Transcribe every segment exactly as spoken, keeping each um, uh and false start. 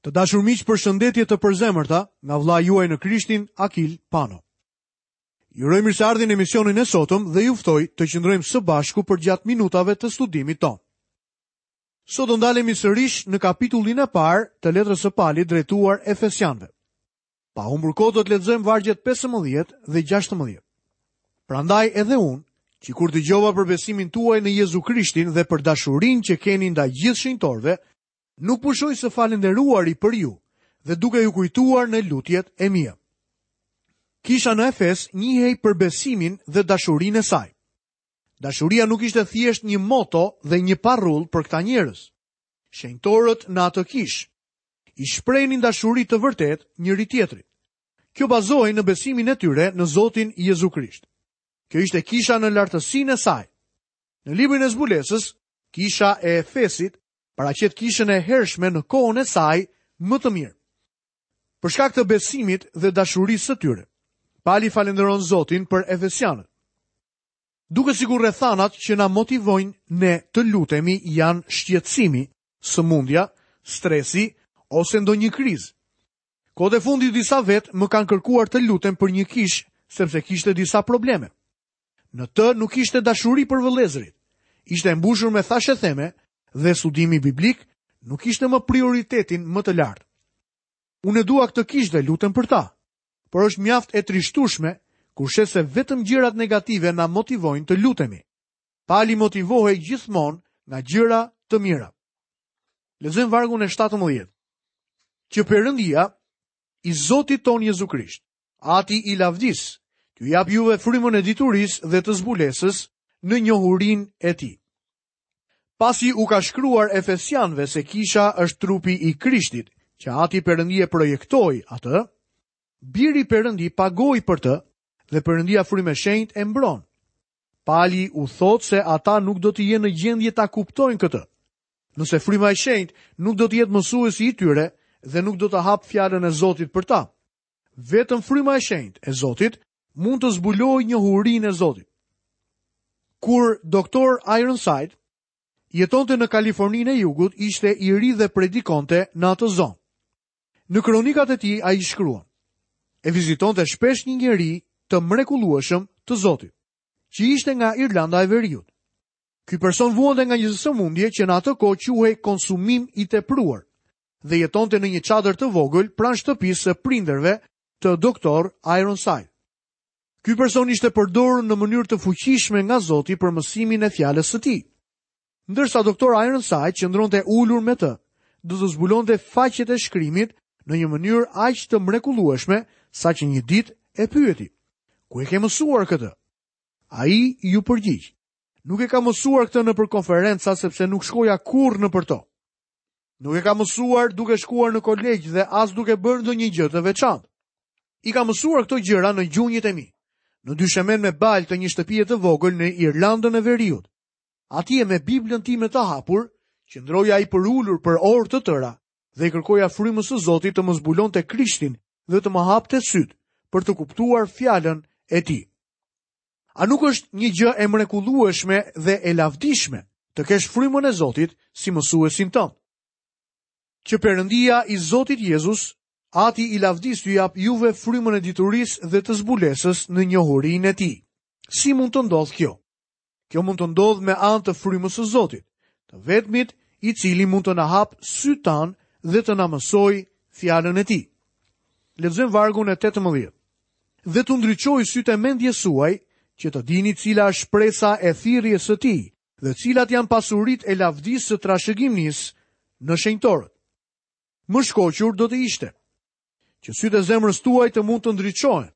Të dashur miq, përshëndetje të përzemërta nga vëllai juaj në Krishtin, Akil Pano. Ju uroj mirëseardhjen në emisionin e sotëm dhe ju ftoj të qëndrojmë së bashku përgjatë minutave të studimit tonë. Sot do ndalemi sërish në kapitullin e parë të letrës së Palit drejtuar Efesianëve. Pa humbur kohë do të lexojmë vargjet pesëmbëdhjetë dhe gjashtëmbëdhjetë. Prandaj edhe unë, që kur dëgjova për besimin tuaj në Jezu Krishtin dhe për dashurinë që keni ndaj gjithë shenjtorëve, nuk pushoj së falënderuari për ju dhe duke ju kujtuar në lutjet e mia. Kisha në Efes njihej për besimin dhe dashurinë e saj. Dashuria nuk ishte thjesht një moto dhe një parrull për këta njerëz. Shenjtorët në atë kishë i shprehnin dashuri të vërtetë njëri tjetrit. Kjo bazohej në besimin e tyre në Zotin Jezu Krisht. Kjo ishte kisha në lartësinë e saj. Në librin e zbulesës, kisha e Efesit paraqet kishën e hershme në kohën e saj më të mirë. Për shkak të besimit dhe dashurisë së tyre, Pali falënderon Zotin për Efesianët. Duket sikur rrethanat që na motivojnë ne të lutemi janë shqetësimi, sëmundja, stresi ose ndonjë krizë. Kohët e fundit disa vetë më kanë kërkuar të lutem për një kishë sepse kishte disa probleme. Në të nuk ishte dashuri për vëllezërit. Ishte e mbushur me thashetheme dhe studimi biblik nuk ishte më prioritetin më të lartë. Unë e dua këtë kishë dhe lutem për ta, por është mjaft e trishtueshme kur sheh se vetëm gjërat negative na motivojnë të lutemi. Pali motivohej gjithmonë nga gjëra të mira. Lexojmë vargun e shtatëmbëdhjetë. Që Perëndia i Zotit ton Jezu Krisht, Ati i lavdis, t'ju jap juve frymën e diturisë dhe të zbulesës në njohurinë e tij. Pasi u ka shkruar Efesianëve se kisha është trupi i Krishtit, që Ati Perëndi e projektoi atë, Biri Perëndi pagoi për të dhe Perëndia frymë e shenjtë e mbron. Pali u thotë se ata nuk do të jenë në gjendje ta kuptojnë këtë. Nëse fryma e shenjtë nuk do të jetë mësuesi i tyre dhe nuk do të hap fjalën e Zotit për ta. Vetëm fryma e shenjtë e Zotit mund të zbulojë njohurinë e Zotit. Kur doktor Ironside jetonte në Kaliforninë e Jugut, ishte i ri dhe predikonte në atë zonë. Në kronikat e tij ai shkruan: E vizitonte shpesh një njeri të mrekullueshëm të Zotit, që ishte nga Irlanda e Veriut. Ky person vuante nga një sëmundje që në atë kohë quhej konsumim i tepruar dhe jetonte në një çadër të vogël pranë shtëpisë së prindërve të doktor Ironside. Ky person ishte përdorur në mënyrë të fuqishme nga Zoti për mësimin e fjalës së tij. Ndërsa doktor Ironside qëndronte ulur me të, do të zbulonte faqet e shkrimit në një mënyrë aq të mrekullueshme sa që një ditë e pyeti: Ku e ke mësuar këtë? Ai ju përgjigj: Nuk e kam mësuar këtë nëpër konferenca sepse nuk shkoja kurrë nëpër to. Nuk e kam mësuar duke shkuar në kolegj dhe as duke bërë ndonjë gjë të veçantë. I kam mësuar këto gjëra në gjunjët e mi, në dyshemen me balë të një shtëpie të vogël në Irlandën e Veriut. Atje me Biblën time të hapur, qëndroja i përulur për orë të tëra dhe i kërkoja frymës së Zotit të më zbulonte Krishtin dhe të më hapte syt për të kuptuar fjalën e tij. A nuk është një gjë e mrekullueshme dhe e lavdishme të kesh frymën e Zotit si mësuesin tënd? Që Perëndia i Zotit Jezus, Ati i lavdis, t'ju jap juve frymën e diturisë dhe të zbulesës në njohurinë e tij. Si mund të ndodhë kjo? Kjo mund të ndodhë me anë të frymës së Zotit, të vetmit i cili mund të na hap sytë tanë dhe të na mësojë fjalën e tij. Lexojmë vargun e tetëmbëdhjetë. Dhe t'u ndriçoj sytë e mendjes suaj, që të dini cila është shpresa e thirrjes së tij dhe cilat janë pasuritë e lavdisë së trashëgimnisë në shenjtorët. Më shkoqur do të ishte që sytë e zemrës tuaj të mund të ndriçohen.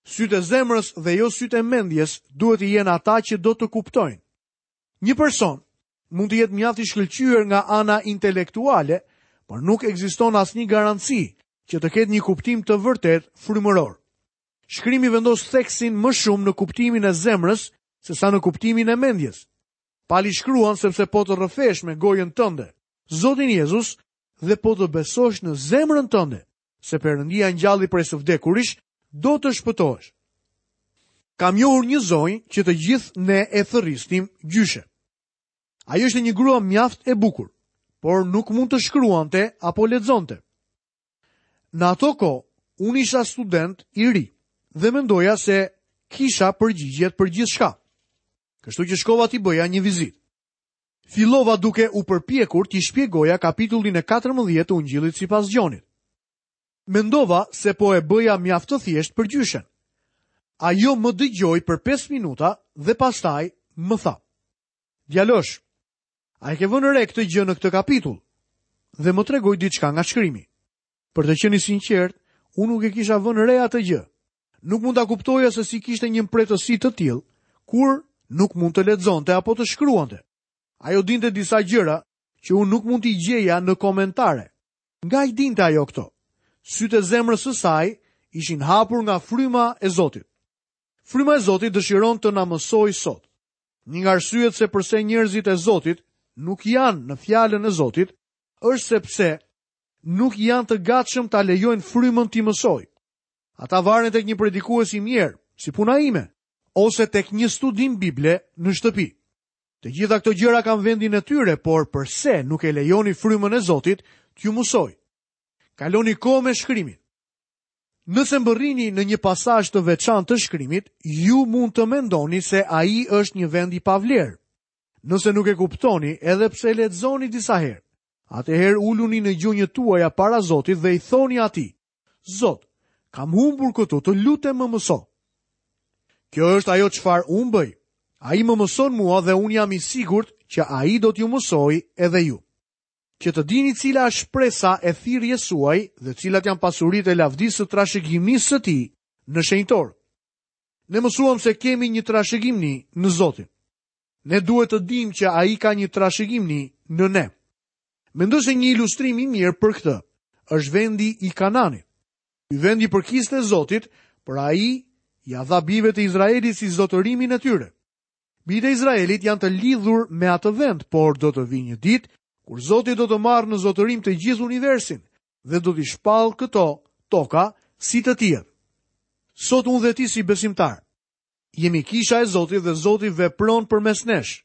Sytë e zemrës dhe jo sytë e mendjes duhet të jenë ata që do të kuptojnë. Një person mund të jetë mjaft i shkëlqyer nga ana intelektuale, por nuk ekziston asnjë garanci që të ketë një kuptim të vërtet frymëror. Shkrimi vendos theksin më shumë në kuptimin e zemrës se sa në kuptimin e mendjes. Pali shkruan sepse po të rrëfesh me gojën tënde Zotin Jezus dhe po të besosh në zemrën tënde se Perëndia ngjalli prej së vdekurish, do të shpëtohesh. Kam njohur një zonjë që të gjithë ne e thërrisnim gjyshe. Ajo ishte një grua mjaft e bukur, por nuk mund të shkruante apo lexonte. Në ato kohë, unë isha student i ri dhe mendoja se kisha përgjigjet për gjithçka. Kështu që shkova t'i bëja një vizitë. Fillova duke u përpjekur t'i shpjegoja kapitullin e katërmbëdhjetë të Ungjillit sipas Gjonit. Mendova se po e bëja mjaft të thjesht për gjyshen. Ajo më dëgjoi për pesë minuta dhe pastaj më tha: "Djalosh, a e ke vënë re këtë gjë në këtë kapitull?" Dhe më tregoi diçka nga shkrimi. Për të qenë i sinqert, unë nuk e kisha vënë re atë gjë. Nuk mund ta kuptoja se si kishte një mprehtësi të tillë kur nuk mund të lexonte apo të shkruante. Ajo dinte disa gjëra që unë nuk mund t'i gjeja në komentare. Nga i dinte ajo këto? Sytë e zemrës së saj ishin hapur nga fryma e Zotit. Fryma e Zotit dëshiron të na mësojë sot. Një nga arsyet se përse njerëzit e Zotit nuk janë në fjalën e Zotit është sepse nuk janë të gatshëm ta lejojnë frymën t'i mësojë. Ata varen tek një predikues i mirë, si puna ime, ose tek një studim Bible në shtëpi. Të gjitha këto gjëra kanë vendin e tyre, por përse nuk e lejoni frymën e Zotit t'ju mësojë? Kaloni kohë me shkrimin. Nëse mbërrini në një pasazh të veçantë të shkrimit, ju mund të mendoni se ai është një vend i pavlerë. Nëse nuk e kuptoni, edhe pse lexoni disa herë, atëherë uluni në gjunjët tuaja para Zotit dhe i thoni atij: Zot, kam humbur këtu, të lutem më mëso. Kjo është ajo çfarë unë bëj. Ai më mëson mua dhe unë jam i sigurt që ai do t'ju mësojë edhe ju. Që të dini cila është shpresa e thirrjes suaj dhe cilat janë pasuritë e lavdisë së trashëgimisë së tij në shenjtor. Ne mësuam se kemi një trashëgimni në Zotin. Ne duhet të dimë që ai ka një trashëgimni në ne. Mendoj se një ilustrim i mirë për këtë është vendi i Kananit. Ky vend i përkiste Zotit, por ai ja dha bijve të Izraelit si zotërimin e tyre. Bijtë e Izraelit janë të lidhur me atë vend, por do të vijë një ditë kur Zoti do të marrë në zotërim të gjithë universin dhe do t'i shpallë këto toka si të tijat. Sot unë dhe ti si besimtar jemi kisha e Zotit dhe Zoti vepron përmes nesh,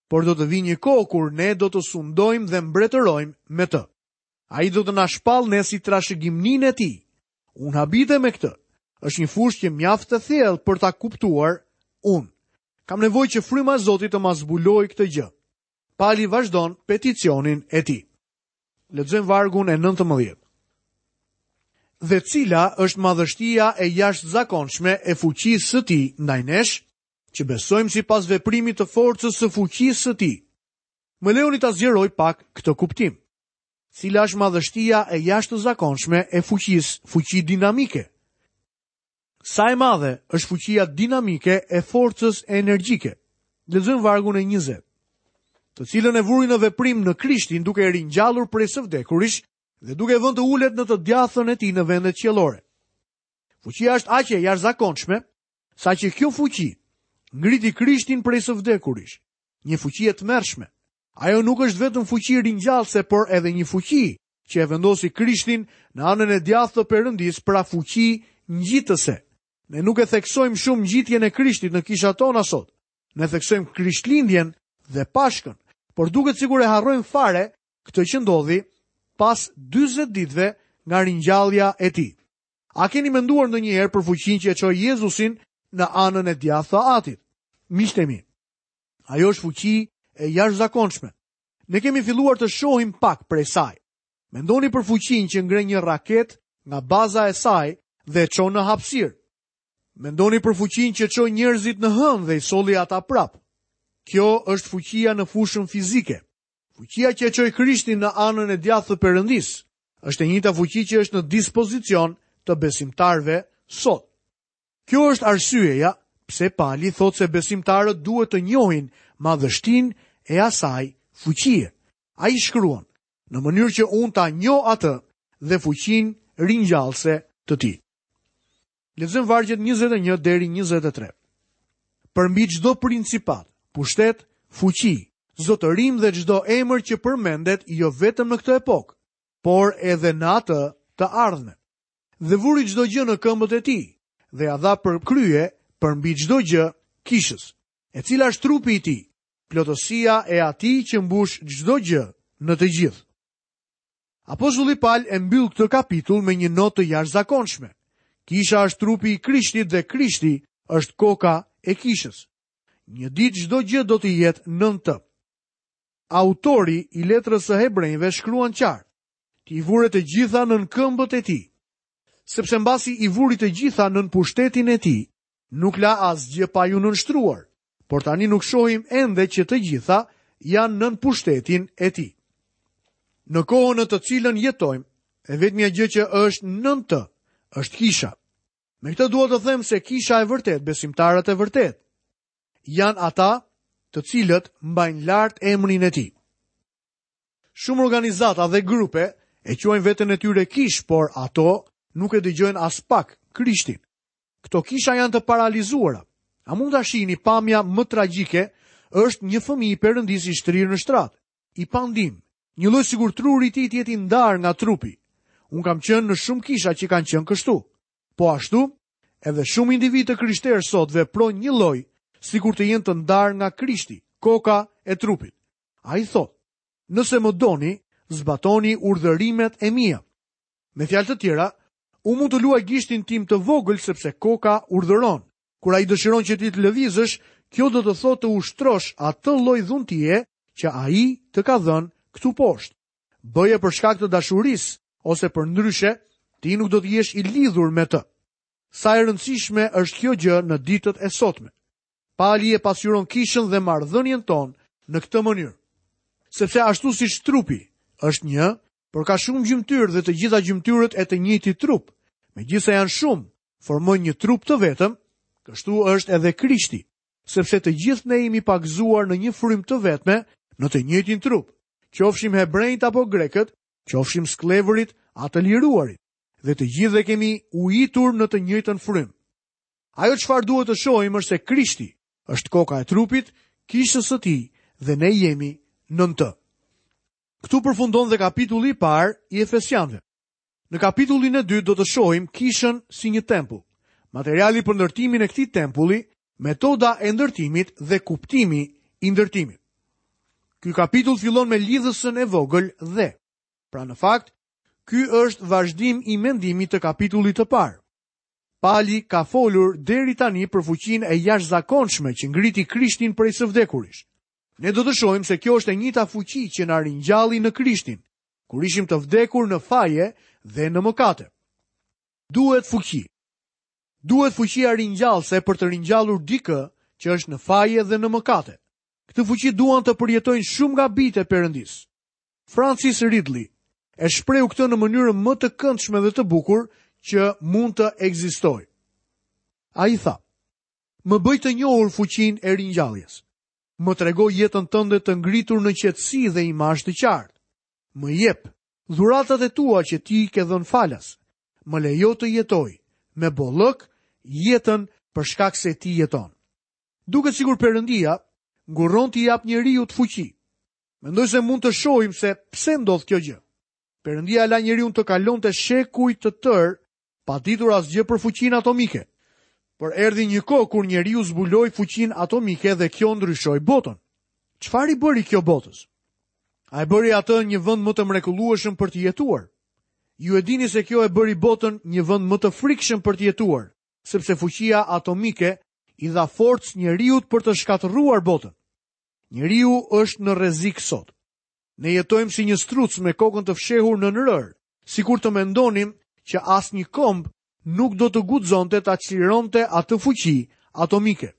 por do të vijë një kohë kur ne do të sundojmë dhe mbretërojmë me të. Ai do të na shpallë ne si trashëgimninë e tij. Unë habitem me këtë. Është një fushë që mjaft e thellë për ta kuptuar unë. Kam nevojë që fryma e Zotit të ma zbulojë këtë gjë. Pali vazhdon peticionin e tij. Lexojmë vargun e nëntëmbëdhjetë. Dhe cila është madhështia e jashtëzakonshme e fuqisë së tij ndaj nesh, që besojmë sipas veprimit të forcës së fuqisë së tij. Më lejoni ta zgjeroj pak këtë kuptim. Cila është madhështia e jashtëzakonshme e fuqisë, fuqi dinamike? Sa e madhe është fuqia dinamike e forcës energjike? Lexojmë vargun e njëzet. Të cilën e vuri në veprim në Krishtin duke e ringjallur prej së vdekurish dhe duke e vënë të ulet në të djathtën e tij në vendet qiellore. Fuqia është aq e jashtëzakonshme saqë kjo fuqi ngriti Krishtin prej së vdekurish, një fuqi e tmerrshme. Ajo nuk është vetëm fuqi ringjallëse, por edhe një fuqi që e vendosi Krishtin në anën e djathtë të Perëndisë, pra fuqi ngjitëse. Ne nuk e theksojmë shumë ngjitjen e Krishtit në kishat tona sot. Ne theksojmë Krishtlindjen dhe Pashkën, por duket sikur e harrojmë fare këtë që ndodhi pas dyzet ditëve nga ringjallja e tij. A keni menduar ndonjëherë për fuqinë që e çoi Jezusin në anën e djathtë të Atit? Miqtë e mi, ajo është fuqi e jashtëzakonshme. Ne kemi filluar të shohim pak prej saj. Mendoni për fuqinë që ngre një raket nga baza e saj dhe e çon në hapësirë. Mendoni për fuqinë që çoi njerëzit në hënë dhe i solli ata prap. Kjo është fuqia në fushën fizike. Fuqia që e çoi Krishtin në anën e djathtë të Perëndisë është e njëjta fuqi që është në dispozicion të besimtarëve sot. Kjo është arsyeja pse Pali thotë se besimtarët duhet të njohin madhështinë e asaj fuqie. Ai shkruan, në mënyrë që unë ta njoh atë dhe fuqinë ringjallëse të tij. Lexojmë vargjet njëzet e një deri njëzet e tre. Përmbi çdo principat, pushtet, fuqi, zotërim dhe çdo emër që përmendet jo vetëm në këtë epokë, por edhe në atë të ardhme. Dhe vuri çdo gjë në këmbët e tij dhe ja dha për krye përmbi çdo gjë kishës, e cila është trupi i tij, plotësia e atij që mbush çdo gjë në të gjithë. Apostulli Pal e mbyll këtë kapitull me një notë të jashtëzakonshme. Kisha është trupi i Krishtit dhe Krishti është koka e kishës. Një ditë çdo gjë do të jetë nën të. Autori i letrës së Hebrejve shkruan qartë: Ti i vure të gjitha nën këmbët e tij. Sepse mbasi i vuri të gjitha nën pushtetin e tij, nuk la asgjë pa ju nënshtruar, por tani nuk shohim ende që të gjitha janë nën pushtetin e tij. Në kohën në të cilën jetojmë, e vetmja gjë që është nën të është kisha. Me këtë dua të them se kisha e vërtet, besimtarët e vërtet, janë ata të cilët mbajnë lart emrin e tij. Shumë organizata dhe grupe e quajnë veten e tyre kish, por ato nuk e dëgjojnë as pak Krishtin. Këto kisha janë të paralizuara. A mund ta shihni pamja më tragjike është një fëmijë i Perëndisë i shtrirë në shtrat, i pandim, një lloj sikur truri i tij të jetë i ndarë nga trupi. Unë kam qenë në shumë kisha që kanë qenë kështu. Po ashtu, edhe shumë individë të krishterë sot veprojnë një lloj, sikur të jenë të ndarë nga Krishti, koka e trupit. Ai thotë: Nëse më doni, zbatoni urdhërimet e mia. Me fjalë të tjera, unë mund të luaj gishtin tim të vogël sepse koka urdhëron. Kur ai dëshiron që ti të lëvizësh, kjo do të thotë të ushtrosh atë lloj dhuntie që ai të ka dhënë këtu poshtë. Bëje për shkak të dashurisë ose për ndryshe, ti nuk do të jesh i lidhur me të. Sa e rëndësishme është kjo gjë në ditët e sotme. Pali e pasqyron kishën dhe marrëdhënien tonë në këtë mënyrë. Sepse ashtu siç trupi është një, por ka shumë gjymtyrë dhe të gjitha gjymtyrët e të njëjtit trup, megjithëse janë shumë, formojnë një trup të vetëm, kështu është edhe Krishti, sepse të gjithë ne jemi pagëzuar në një frymë të vetme, në të njëjtin trup, qofshim hebrejt apo grekët, qofshim skllevërit a të liruarit, dhe të gjithë e kemi ujitur në të njëjtën frymë. Ajo çfarë duhet të shohim është se Krishti është koka e trupit, kishës së tij, dhe ne jemi nën të. Këtu përfundon dhe kapitulli i parë i Efesianëve. Në kapitullin e dytë do të shohim kishën si një tempull, materiali për ndërtimin e këtij tempulli, metoda e ndërtimit dhe kuptimi i ndërtimit. Ky kapitull fillon me lidhësën e vogël dhe. Pra në fakt, ky është vazhdim i mendimit të kapitullit të parë. Pali ka folur deri tani për fuqinë e jashtëzakonshme që ngriti Krishtin prej së vdekurish. Ne do të shohim se kjo është e njëjta fuqi që na ringjalli në Krishtin, kur ishim të vdekur në faje dhe në mëkate. Duhet fuqi. Duhet fuqia ringjallëse për të ringjallur dikë që është në faje dhe në mëkate. Këtë fuqi duan të përjetojnë shumë nga bijtë e Perëndisë. Francis Ridley e shprehu këtë në mënyrën më të këndshme dhe të bukur që mund të ekzistojë. Ai tha: Më bëj të njohur fuqinë e ringjalljes. Më trego jetën tënde të ngritur në qetësi dhe imazh të qartë. Më jep dhuratat e tua që ti ke dhënë falas. Më lejo të jetoj me bollëk jetën për shkak se ti jeton. Duket sikur Perëndia ngurron t'i jap njeriu të fuqi. Mendoj se mund të shohim se pse ndodh kjo gjë. Perëndia la njeriun të kalonte shekuj të tërë pa ditur asgjë për fuqinë atomike. Por erdhi një kohë kur njeriu zbuloi fuqinë atomike dhe kjo ndryshoi botën. Çfarë i bëri kjo botës? A e bëri atë një vend më të mrekullueshëm për të jetuar? Ju e dini se kjo e bëri botën një vend më të frikshëm për të jetuar, sepse fuqia atomike i dha forcë njeriut për të shkatërruar botën. Njeriu është në rrezik sot. Ne jetojmë si një struc me kokën të fshehur në rërë, sikur të mendonim që asnjë komb nuk do të guxonte ta çlironte atë fuqi atomike.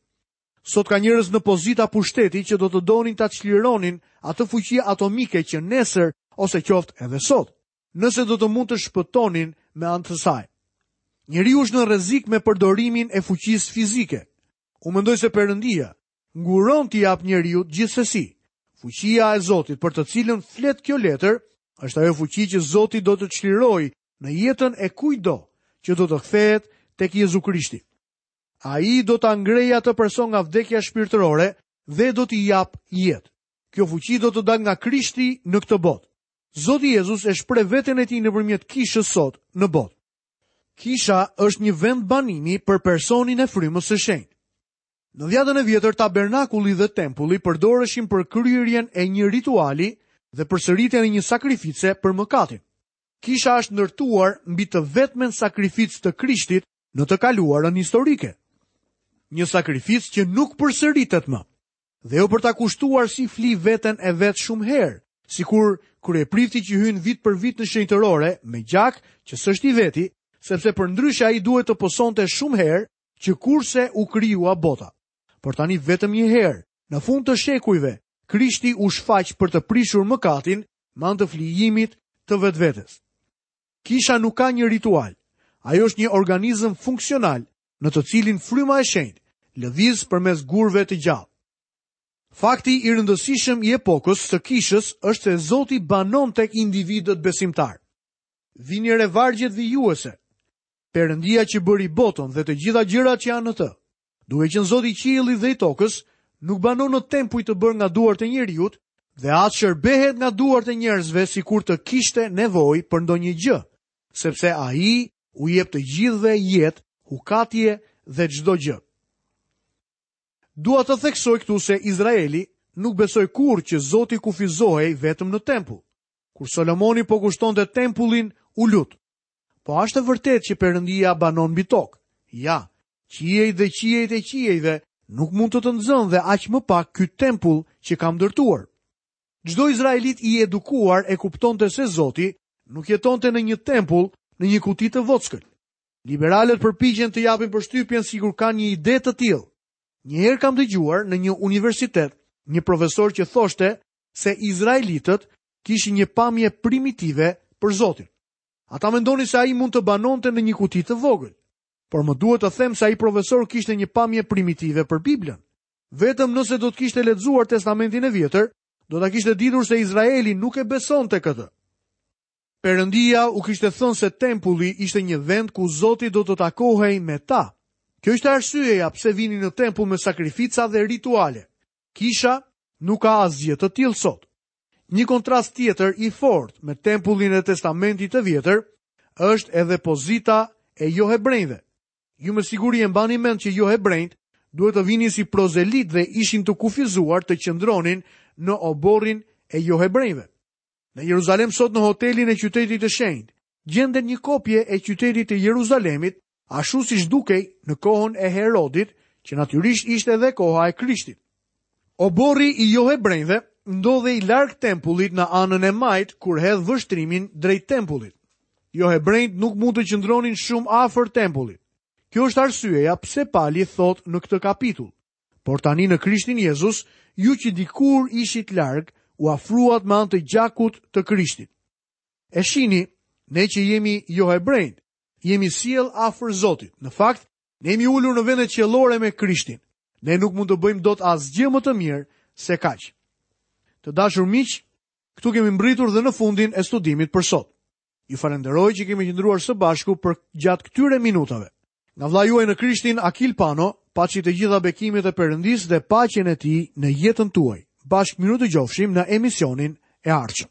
Sot ka njerëz në pozita pushteti që do të donin ta çlironin atë fuqi atomike që nesër ose qoftë edhe sot, nëse do të mund të shpëtonin me anë të saj. Njeriu është në rrezik me përdorimin e fuqisë fizike. Unë mendoj se Perëndia nguron t'i jap njeriut gjithsesi. Fuqia e Zotit për të cilën flet kjo letër është ajo fuqi që Zoti do të çlirojë në jetën e kujtdo që do të kthehet tek Jezu Krishti. Ai do ta ngrejë atë person nga vdekja shpirtërore dhe do t'i jap jetë. Kjo fuqi do të dalë nga Krishti në këtë botë. Zoti Jezus e shpreh veten e tij nëpërmjet kishës sot në botë. Kisha është një vend banimi për personin e frymës së shenjtë. Në dhjatën e vjetër, tabernakulli dhe tempulli përdoreshin për kryerjen e një rituali dhe përsëritjen e një sakrifice për mëkatin. Kisha është ndërtuar mbi të vetmen sakrificë të Krishtit në të kaluarën historike. Një sakrificë që nuk përsëritet më. Dhe jo për ta kushtuar si fli veten e vet shumë herë, sikur kryeprifti që hyn vit për vit në shenjtërore me gjak që s'është i veti, sepse përndryshe ai duhet të pësonte shumë herë që kurse u krijua bota. Por tani vetëm një herë, në fund të shekujve, Krishti u shfaq për të prishur mëkatin me anë të flijimit të vetvetes. Kisha nuk ka një ritual. Ajo është një organizëm funksional në të cilin fryma e shenjtë lëviz përmes gurëve të gjallë. Fakti i rëndësishëm i epokës së kishës është se Zoti banon tek individët besimtar. Vini re vargjet vijuese. Perëndia që bëri botën dhe të gjitha gjërat që janë në të, duke qenë Zoti i qiellit dhe i tokës, nuk banon në tempuj të bërë nga duart e njeriut dhe as shërbehet nga duart e njerëzve sikur të kishte nevojë për ndonjë gjë, sepse ai u jep të gjithëve jetë, hukatje dhe çdo gjë. Dua të theksoj këtu se Izraeli nuk besoi kurrë që Zoti kufizohej vetëm në tempull. Kur Solomoni po kushtonte tempullin, u lut. Po është e vërtetë që Perëndia banon mbi tokë. Ja, qiejt dhe qiejt e qiejve nuk mund të të nxënë dhe aq më pak ky tempull që kam ndërtuar. Çdo izraelit i edukuar e kuptonte se Zoti nuk jetonte në një tempull, në një kuti të vockël. Liberalët përpiqen të japin përshtypjen sikur kanë një ide të tillë. Një herë kam dëgjuar në një universitet një profesor që thoshte se izraelitët kishin një pamje primitive për Zotin. Ata mendonin se ai mund të banonte në një kuti të vogël. Por më duhet të them se ai profesor kishte një pamje primitive për Biblën. Vetëm nëse do të kishte lexuar Testamentin e Vjetër, do ta kishte ditur se Izraeli nuk e besonte këtë. Perëndia u kishte thënë se tempulli ishte një vend ku Zoti do të takohej me ta. Kjo ishte arsyeja pse vinin në tempull me sakrifica dhe rituale. Kisha nuk ka asgjë të tillë sot. Një kontrast tjetër i fortë me tempullin e Testamentit të Vjetër është edhe pozita e johebrejve. Ju me siguri e mbani mend që johebrejt duhet të vinin si prozelit dhe ishin të kufizuar të qëndronin në oborrin e johebrejve. Në Jeruzalem sot në hotelin e qytetit të shenjtë gjendet një kopje e qytetit të Jeruzalemit, ashtu siç dukej në kohën e Herodit, që natyrisht ishte edhe koha e Krishtit. Oborri i johebrejve ndodhej larg tempullit në anën e majtë kur hedh vështrimin drejt tempullit. Johebrejt nuk mund të qëndronin shumë afër tempullit. Kjo është arsyeja pse Pali thot në këtë kapitull. Por tani në Krishtin Jezus, ju që dikur ishit larg, u afruat me anë të gjakut të Krishtit. E shini, ne që jemi johebrejt, jemi sjell afër Zotit. Në fakt, ne jemi ulur në vendet qiellore me Krishtin. Ne nuk mund të bëjmë dot asgjë më të mirë se kaq. Të dashur miq, këtu kemi mbërritur dhe në fundin e studimit për sot. Ju falenderoj që kemi qëndruar së bashku për gjatë këtyre minutave. Nga vëllai juaj në Krishtin, Akil Pano, paçi të gjitha bekimet e Perëndisë dhe paqen e tij në jetën tuaj. Bashkë mirudëgjofshim në emisionin e ardhshëm.